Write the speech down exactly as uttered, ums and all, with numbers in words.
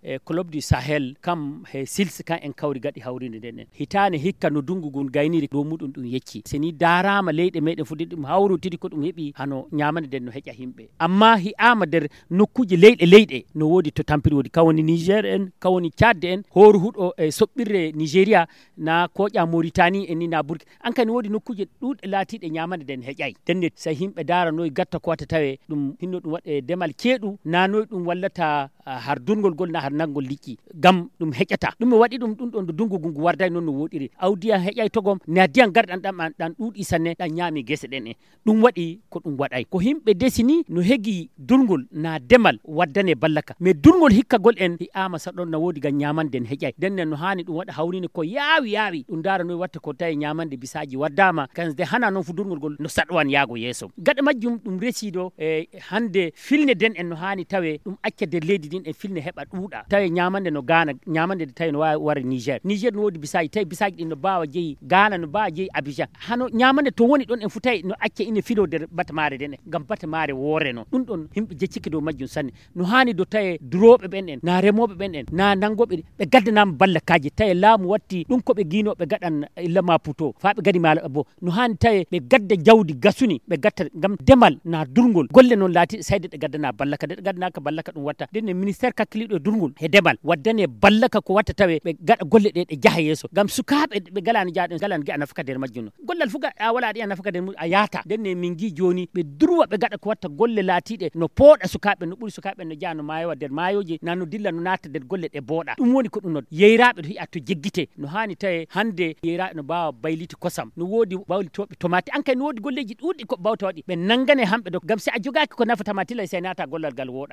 e Club du Sahel, kam he sils kan en kawri gaɗi hawrinde nden en. Hitaane hikka no dungu ngun gayniri dow muɗum ɗum yecci. Se ni daaraama leyɗe meɗen fu de ɗum hawrotiri ko ɗum heɓi hano ñaamande nden no heƴa himɓe. Amma hi'aama nder nokkuuje leyɗe leyɗe no woodi to tampiri woodi. Kan woni Niger en, kan woni Tchad en, hooru huɗo e soɓɓirre Nigeria, na koƴa Mauritanie en ni na Burkina. An kadi woodi nokkuuje ɗuuɗɗe laatiiɗe ñaamande nden heƴay. Nden ne so himɓe daaranoy gatta ko wata tawe ɗum hinno ɗum waɗe demal ceeɗu, na noy ɗum wallata, ah, har durngol gol na har nanngol liƴƴi. Ngam ɗum heƴata. Ɗum mi waɗi ɗum ɗum ɗon dungu ngu warday noon no woɗiri. Awdi an heƴay togom, na diyan garɗan ɗan, ɗan, ɗan ɗuuɗi sanne, ɗan ñaami gese ɗen en. Ɗum waɗi ko ɗum waɗay. Ko himɓe desini no hegi durngol na demal waddane ballaka. Mais durngol hikkagol en hi'aama sa ɗon na woodi ngam ñaamande en heƴay. Nden nen no haani ɗum waɗa hawrine ko yaawi yaawi. Ɗum ndaara noy watta ko tawi ñaamande bisaaji waddaama. Kan de hana noon fu durngol ngol no saɗowan yaago yeeso. Gaɗa majjum ɗum resi ɗo e hande filne den en no haani tawe ɗum acca nder leydi din en filne heɓa ɗuuɗa. Tawe ñaamande no Gaana, ñaamande de tawi no waawi wara Niger. Niger no woodi bisaaji, tawi bisaaji ɗin no baawa jeyi Gaana, no baawa jeyi Abidjan. Hano ñaamande to woni ɗon en fu tawi no acca ine filo nder batamaare den en. Ngam batamaare woore no. Ɗum ɗon himɓe jeccike dow majjum sanne. No haani do tawe durooɓe ɓen en, na remooɓe ɓen en, na nangooɓe ɗi, ɓe gaddanaama ballakaaji. Tawe laamu watti ɗum ko ɓe giinooɓe gaɗan illa Maputo. Faa ɓe gadi maala bo. No haani tawe ɓe gadda jawdi gasuni, ɓe gatta ngam demal na durngol. Golle noon laati sayde ɗe gaddana ballaka, de ɗe gaddanaaka ballaka ɗum watta. Nden ne ministère kakkiliiɗo e durngol he demal waddane ballaka ko watta tawe ɓe gaɗa golle ɗe ɗe jaha yeeso. Ngam sukaaɓe ɓe galaani jaaɗo, galaani gi'a nafaka nder majjum no. Gollal fu gaɗa wala aɗa yi'a nafaka nder mum a yaata. Nden ne min ngi jooni ɓe durwa ɓe gaɗa ko watta golle laatiiɗe no pooɗa sukaaɓe, no ɓuri sukaaɓe no jaha no maayowa nder maayooji, na no dilla no naata nder golle ɗe booɗa. Ɗum woni ko ɗum no yeyraaɓe to hi'a to jeggite. No haani tawe hande yeyraaɓe no mbaawa bayliti kosam, no woodi baylitooɓe tomati. An kay no woodi golleeji ɗuuɗɗi ko bawta waɗi. Ɓe nangane hamɓe do, ngam si a jogaaki ko nafata ma tilay si a naata gollal ngal wooɗa.